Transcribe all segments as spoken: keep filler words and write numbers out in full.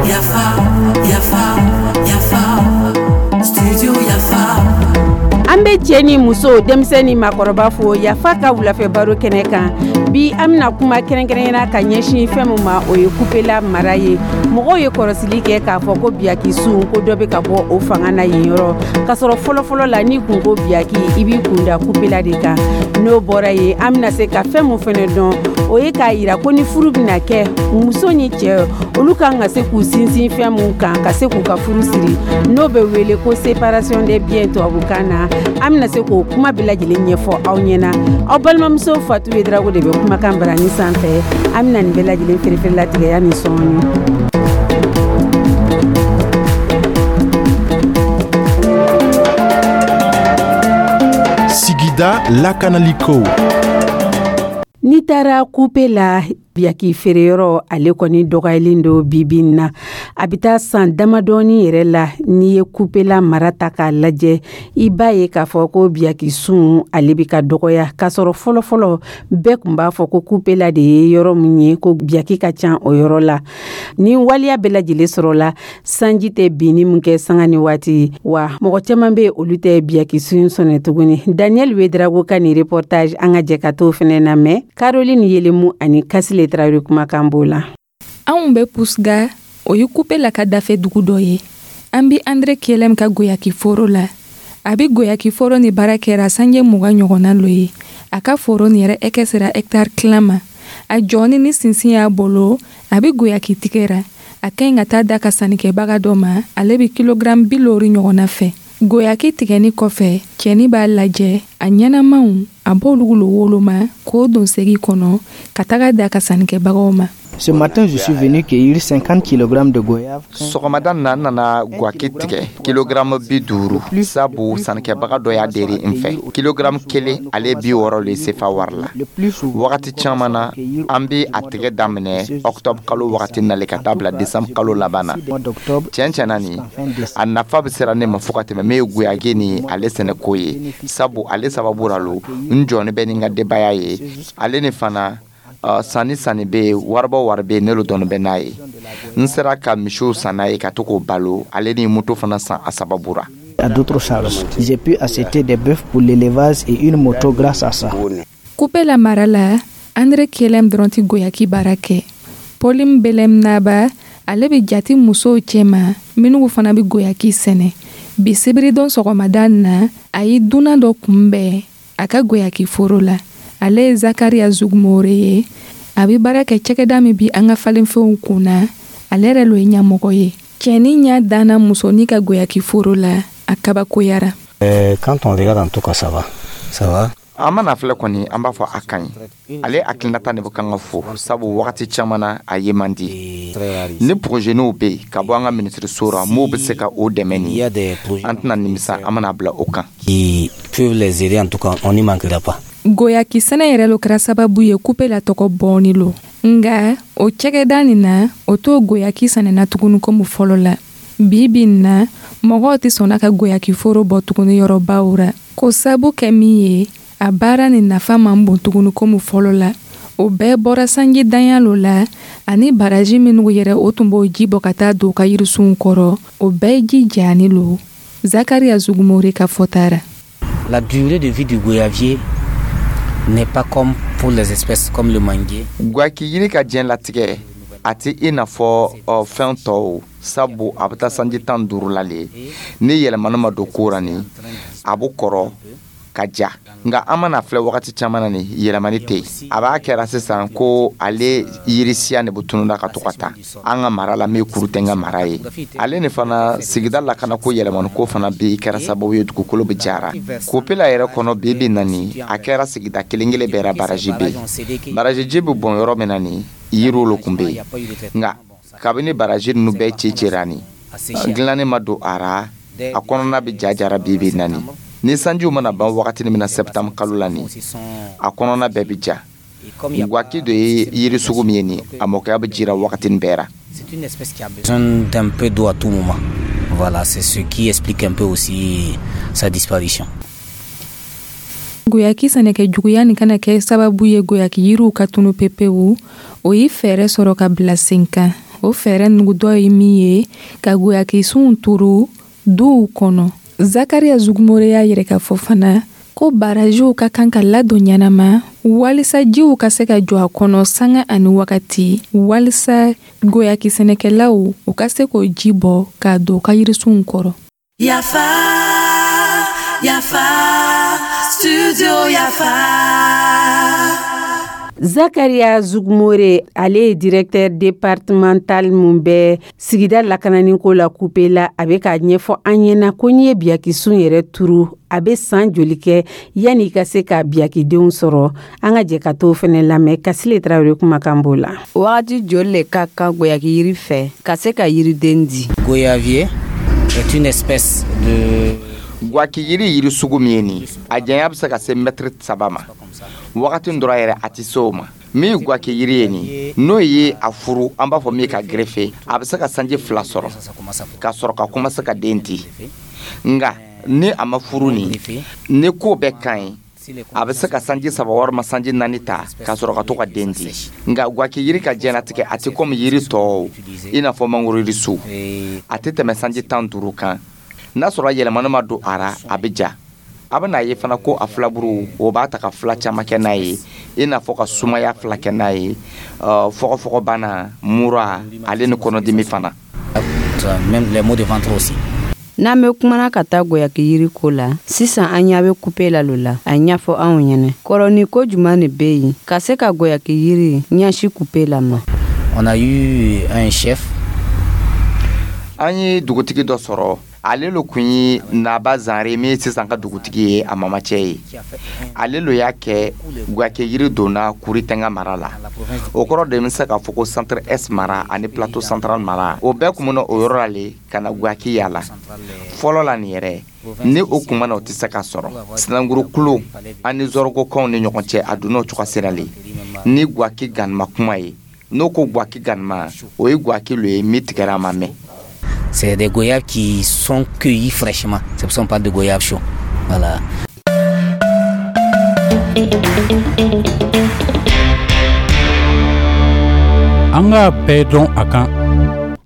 Yafa, yafa, yafa, studio Yafa. An bɛ cɛ ni muso, denmisɛn ni maakɔrɔba fo Yafa ka wulafɛ baro kɛnɛ kan. Bi, an bɛna kuma kɛrɛnkɛrɛnyana ka ɲɛsin fɛn min ma, o ye Kupela mara ye. Mɔgɔw ye kɔrɔsili kɛ k'a fɔ ko biyaki sun ko dɔ bɛ ka bɔ o fanga na yen yɔrɔ, k'a sɔrɔ fɔlɔfɔlɔ la, n'i kun ko biyaki, i b'i kun da Kupela de kan. N'o bɔra yen, an bɛna se ka fɛn mun fɛnɛ dɔn, o ye k'a yira ko ni furu bɛna kɛ, muso ni cɛ, olu kan ka se k'u sinsin fɛn mun kan ka se k'u ka furu siri, n'o bɛ wele ko séparation des biens tubabukan na. An bɛna se k'o kuma bɛɛ lajɛlen ɲɛfɔ aw ɲɛna. Aw balimamuso Fatu Yedrago de bɛ kumakan barani sanfɛ. An bɛna nin bɛɛ lajɛlen feerefeere latigɛya ni sɔɔni. Sigida lakanaliko. N'i taara Kupe la, biyaki feereyɔrɔ, ale kɔni dɔgɔyalen don bibi na. A bɛ taa san damadɔni yɛrɛ la, n'i ye Kupela mara ta k'a lajɛ, i b'a ye k'a fɔ ko biyaki sun, ale bɛ ka dɔgɔya, k'a sɔrɔ fɔlɔfɔlɔ bɛɛ tun b'a fɔ ko Kupela de ye yɔrɔ min ye ko biyaki ka ca o yɔrɔ la. Ni waleya bɛɛ lajɛlen sɔrɔla, sanji tɛ binni min kɛ sanga ni waati wa, mɔgɔ caman bɛ, olu tɛ biyaki sun sɔnɛ tuguni. Daniel Wedrago ka nin reportage, an ka jɛ ka t'o fɛnɛ lamɛn. Caroline Yelemu ani Kasile Tarawele kumakan b'o la. Anw bɛ Pusga, o ye Kupela ka dafɛ dugu dɔ ye. An bi Andre Kelem ka goyaki foro la. A bi goyaki foro ni baara kɛra sanje mugan ɲɔgɔnna lo ye. A ka foro ni yɛrɛ ɛkɛ sera hectare tilan ma. A jɔni ni sinsin y'a bolo, a bi goyaki tigɛra. A ka ɲi ka taa da ka sannikɛbaga dɔ ma, ale bi kilogram bi loori ɲɔgɔnna fɛ. Goyaki tigɛni kɔfɛ, cɛni b'a lajɛ a ɲɛnamaw, a b'olu lo woloma k'o don segi kɔnɔ ka taga da ka sannikɛbagaw ma. Ce matin, je suis venu cueillir cinquante kilogrammes de goyave. Sɔgɔmada na, n nana gwaki tigɛ kilogramme bi duuru, sabu sannikɛbaga dɔ y'a deri n fɛ. Kilogramme kelen, ale bi wɔɔrɔ le sefa wari la. Wagati caman na, an be a tigɛ daminɛ octobre kalo wagati nale ka taa bila décembre kalo laban na. Tiɲɛ tiɲɛna, nin a nafa bɛ sera ne ma fo ka tɛmɛ. Min ye goyaki ni ale sɛnɛko ye, sabu ale sababu ra lo n jɔni bɛ ni n ka denbaya ye. Ale ni fana, Uh, sanni sanni bɛ yen, waribɔ wari bɛ yen, ne lo dɔɔni bɛ n'a ye. N sera ka misiw san n'a ye ka to k'o balo, ale ni moto fana san a sababu ra. À d'autres charges. J'ai pu acheter des bœufs pour l'élevage et une moto grâce à ça. Kupela mara la, Andre Kelem dɔrɔn tɛ goyaki baara kɛ. Pauline Belem Naba, ale bɛ jati musow cɛma minnu fana bɛ goyaki sɛnɛ. Bi sibiridon sɔgɔmada na, a ye dunan dɔ kunbɛn a ka goyaki foro la. Ale ye Zakaria Zugumore ye. A bɛ baara kɛ cakɛda min bi an ka falenfɛnw kunna, ale yɛrɛ lo ye ɲɛmɔgɔ ye. Cɛni ɲɛ danna musonin ka goyaki foro la, a kabakoyara. Euh, quand on regarde, en tout cas, ça va, ça va. An mana filɛ kɔni, an b'a fɔ a ka ɲi. Ale hakilinata de bɛ kan ka fo, sabu wagati caman na a ye man di. Ni projetniw bɛ yen ka bɔ an ka minisiriso ra, m'o bɛ se ka o dɛmɛ nin, an tɛna nimisa an mana bila o kan. Qui peuvent les aider, en tout cas, on n'y manquera pas. Goyaki sɛnɛ yɛrɛ lo kɛra sababu ye Kupela tɔgɔ bɔɔni lo. Nga o cɛgɛda nin na, o t'o goyaki sɛnɛna tuguni komi fɔlɔ la. Bi bi in na, mɔgɔw tɛ sɔnna ka goyaki foro bɔ tuguni yɔrɔbaw ra, ko sabu kɛ min ye, a baara ni nafa man bon tuguni komi fɔlɔ la. O bɛɛ bɔra sanji danya lo la, ani baraji minnu yɛrɛ o tun b'o ji bɔ ka taa don u ka yirisunw kɔrɔ, o bɛɛ ji jani lo. Zakaria Zugumore ka fɔta ra. La durée de vie du goyavier n'est pas comme pour les espèces comme le manguier. Gwaki yiri ka diɲɛ latigɛ, a tɛ i n'a fɔ ɔ, fɛn tɔw, sabu a bɛ taa sanji tan duuru la le. Ni yɛlɛmani ma don ko ra ni, a bɛ kɔrɔ ka ja. Nka an mana filɛ wagati caman na, ni yɛlɛmani tɛ yen. A b'a kɛra sisan ko ale yirisiya de bɛ tununa ka to ka taa an ka mara la. Min kuru tɛ n ka mara ye, ale ni fana sigida lakana ko yɛlɛmani ko fana bi kɛra sababu ye dugukolo bɛ jara Kopela yɛrɛ kɔnɔ. Bi bi na ni, a kɛra sigida kelen kelen bɛɛ ra baraji bɛ yen. Baraji ji bɛ bɔn yɔrɔ min na ni, yiriw lo kun bɛ yen. Nka kabini baraji ninnu bɛɛ ci cira ni, dilanni ma don a ra, a kɔnɔna bɛ ja jara. Bi bi na ni, ni sanjiw mana ban wagati min na, septembre kalo la ni, a kɔnɔna bɛɛ bɛ ja. Gwaki dɔ ye yiri sugu min ye nin, a mɔkɛya bɛ jira wagati bɛɛ ra. C'est une espèce qui a besoin d'un peu d'eau à tout moment. Voilà, c'est ce qui explique un peu aussi sa disparition. Goyaki sɛnɛkɛ juguya nin kana kɛ sababu ye goyaki yiriw ka tunu pepewu, o ye fɛɛrɛ sɔrɔ ka bila sen kan. O fɛɛrɛ nugu dɔ ye min ye ka goyaki sunw turu duw kɔnɔ. Zakaria Zugumore y'a yɛrɛ k'a fɔ fana ko barajiw ka kan ka ladon ɲɛnama walisa jiw ka se ka jɔ a kɔnɔ sanga ani wagati, walisa goyaki sɛnɛkɛlaw u ka se k'o ji bɔ k'a don u ka yirisunw kɔrɔ. Yafa, Yafa, Studio Yafa. Zakaria Zugumore, ale ye directeur départemental mun bɛ sigida lakananiko la Kupela, a bɛ k'a ɲɛfɔ an ɲɛna ko n'i ye biyakisun yɛrɛ turu, a bɛ san joli kɛ yanni i ka se ka biyakidenw sɔrɔ? An ka jɛ ka t'o fɛnɛ lamɛn. Kasile Tarawele kumakan b'o la. Wagati joli le ka kan goyaki yiri fɛ ka se ka yiriden di? Goyavier est une espèce de Gwaki yiri, yiri sugu min ye nin, a janya bɛ se ka se mɛtiri saba ma. Wagati dɔrɔn yɛrɛ, a tɛ se o ma. Min ye gwaki yiri ye nin, n'o ye a furu, an b'a fɔ min ka greffer, a bɛ se ka sanji fila sɔrɔ ka sɔrɔ ka commencer ka den di. Nka ni a ma furu nin, ni ko bɛɛ ka ɲi, a bɛ se ka sanji saba walima sanji naani ta ka sɔrɔ ka to ka den di. Nka gwaki yiri ka diɲɛlatigɛ, a tɛ komi yiri tɔw, i n'a fɔ mangoro yirisu, a tɛ tɛmɛ sanji tan duuru kan. N'a sɔrɔ yɛlɛmani ma don a ra, a bɛ ja. A bɛ n'a ye fana ko a filaburu, o b'a ta ka fila caman kɛ n'a ye, i n'a fɔ ka sumaya fila kɛ n'a ye, fɔgɔfɔgɔbana, mura, ale ni kɔnɔdimi fana. Même les maux de ventre aussi. N'an bɛ kumana ka taa goyaki yiri ko la sisan, an ɲa bɛ Kupela lo la. A ɲɛfɔ anw ɲɛnɛ, kɔrɔni ko juman de bɛ yen ka se ka goyaki yiri ɲɛsi Kupela ma? On a eu un chef. An ye dugutigi dɔ sɔrɔ. Ale lo kun ye Naba Zanre min ye sisan ka dugutigi ye, a mamacɛ ye. Ale lo y'a kɛ gwake yiri donna Kuritenga mara la. O kɔrɔ de bɛ se k'a fɔ ko Centre Est mara ani Plateau Central mara, o bɛɛ kun bɛ o yɔrɔ la le ka na gwaki yala fɔlɔ la. Nin yɛrɛ ni o kun mana, o tɛ se ka sɔrɔ. Sinankuru kulo ani zɔrɔgokanw ni ɲɔgɔn cɛ, a donna o cogo sira le ni gwaki ganima kuma ye. N'o ko gwaki ganima, o ye gwaki lo ye min tigɛra a ma mɛn. C'est des goyaves qui sont cueillis fraîchement. C'est pour ça qu'on parle de goyaves chauds. Voilà. An k'a bɛɛ dɔn a kan.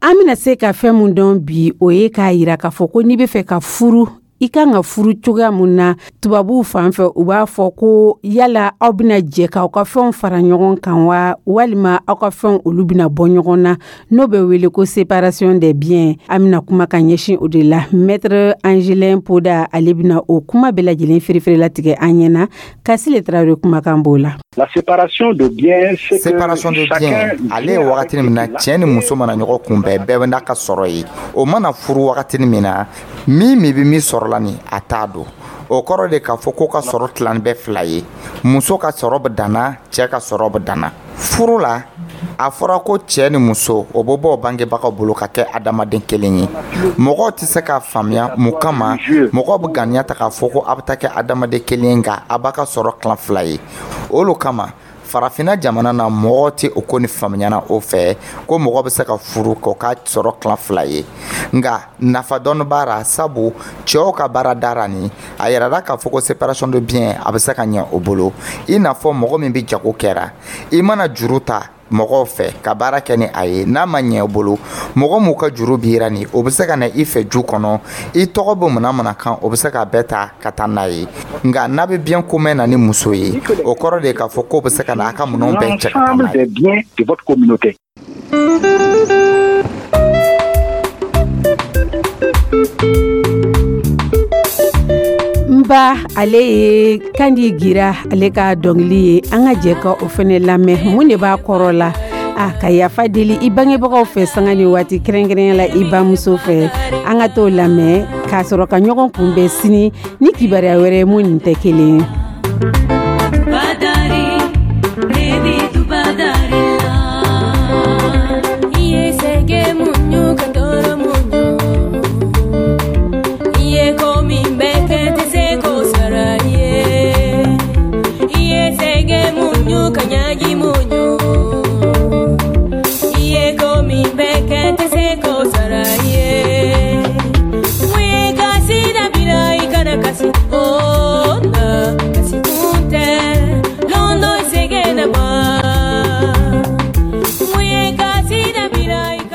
An bɛna se ka fɛn mun dɔn bi, o ye k'a yira k'a fɔ ko n'i bɛ fɛ ka furu, i kan ka furu cogoya mun na. Tubabuw fan fɛ, u b'a fɔ ko yala aw bɛna jɛ k'aw ka fɛnw fara ɲɔgɔn kan wa, walima aw ka fɛnw olu bɛna bɔ ɲɔgɔn na, n'o bɛ wele ko séparation des biens. An bɛna kuma ka ɲɛsin o de la. Maître Angelin Poda, ale bɛna o kuma bɛɛ lajɛlen feere latigɛ an ɲɛna. Kasile Tarawele kumakan b'o la. La séparation de biens, c'est Séparation de biens, ale ye wagati min na cɛ ni muso mana ɲɔgɔn kunbɛn, bɛɛ bɛ n'a ka sɔrɔ ye. O mana furu wagati min na, min min bɛ min sɔrɔ la nin, a t'a dɔn. O kɔrɔ de k'a fɔ ko ka sɔrɔ tilan bɛɛ fila ye, muso ka sɔrɔ bɛ danna, cɛ ka sɔrɔ bɛ danna. Furu la, a fɔra ko cɛ ni muso, o bɛ bɔ bangebagaw bolo ka kɛ adamaden kelen ye. Mɔgɔw tɛ se k'a faamuya mun kama mɔgɔw bɛ ganiya ta k'a fɔ ko a bɛ taa kɛ adamaden kelen ye, nka a b'a ka sɔrɔ tilan fila ye. O lo kama Farafinna jamana na, mɔgɔw tɛ o ko ni faamuyana o fɛ ko mɔgɔ bɛ se ka furu k'o ka sɔrɔ tilan fila ye. Nka nafa dɔɔni b'a la, sabu cɛw ka baara dara nin, a yirala k'a fɔ ko séparation de biens, a bɛ se ka ɲɛ o bolo, i n'a fɔ mɔgɔ min bɛ jago kɛra, i mana juru ta mɔgɔw fɛ ka baara kɛ ni a ye, n'a ma ɲɛ i bolo, mɔgɔ m'u ka juru bira nin, o bɛ se ka na i fɛ ju kɔnɔ, i tɔgɔ bɛ mana mana kan, o bɛ se k'a bɛɛ ta ka taa n'a ye. Nka n'a bɛ bien commun na ni muso ye, o kɔrɔ de k'a fɔ k'o bɛ se ka na a ka minɛnw bɛɛ cɛ ka taa n'a ye. Des biens de votre communauté. N ba, ale ye Kandi Gira, ale ka dɔnkili ye. An ka jɛ ka o fɛnɛ lamɛn. Mun de b'a kɔrɔ la? A ka yafa deli i bangebagaw fɛ sanga ni waati, kɛrɛnkɛrɛnya la i bamuso fɛ. An ka t'o lamɛn k'a sɔrɔ ka ɲɔgɔn kunbɛn sini ni kibaruya wɛrɛ mun nin tɛ kelen ye.